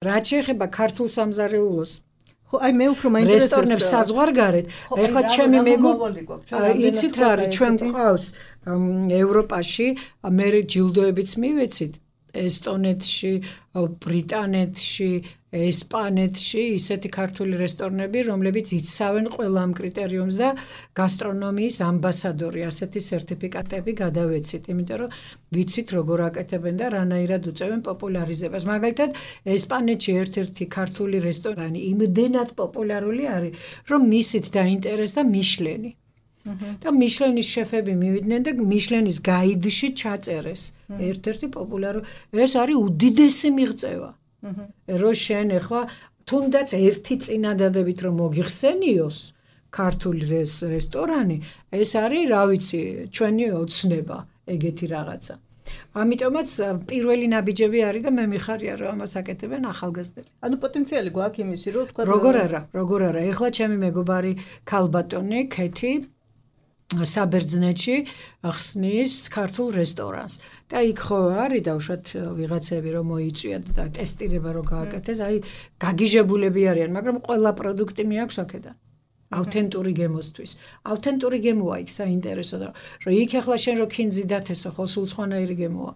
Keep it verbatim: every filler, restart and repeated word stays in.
რაც შეეხება ქართულ სამზარეულოს ხო აი მე უფრო მაინტერესებს რესტორნებს საზღვარგარეთ ეხლა ჩემი მეგობარი იცით რა არის ჩვენ გვყავს ევროპაში მე ჯილდოებიც მივეცით ესტონეთში ბრიტანეთში ესპანეთში ისეთი ქართული რესტორნები რომლებიც იცავენ ყველა ამ კრიტერიუმს და გასტრონომიის ამბასადორი ასეთი სერტიფიკატები გადავეცით იმიტომ რომ ვიცით როგორ აკეთებენ და რანაირად უწევენ პოპულარიზებას მაგალითად ესპანეთში ერთ-ერთი ქართული რესტორანი იმდენად პოპულარული არის რომ მისით დაინტერესდა მიშლენი და მიშლენის შეფები მივიდნენ და მიშლენის გაიდში ჩაწერეს ერთ-ერთი პოპულარული ეს არის უდიდესი მიღწევა რო შენ ახლა თუნდაც ერთი წინადადებით რომ მოგიხსენიოს ქართული რესტორანი ეს არის რა ვიცი ჩვენი ოცნება ეგეთი რაღაცა ამიტომაც პირველი ნაბიჯები არის და მე მიხარია რომ ამას აკეთებენ ახალგაზრდები ანუ პოტენციალი გვაქვს იმისი რომ თქვა როგორ არა როგორ არა ეხლა ჩემი მეგობარი ქალბატონი ქეთი საბერძნეთში ხსნის ქართულ რესტორანს და იქ ხო არის დავუშვათ ვიღაცები რომ მოიწვიათ და ტესტირება რო გააკეთეს აი გაგიჟებულები არიან მაგრამ ყველა პროდუქტი მეაქვს აქედან ავთენტური გემოსთვის ავთენტური გემოა იქ საინტერესო რომ იქ ახლა შენ რო ქინძი დათესო ხო სულ სხვანაირი გემოა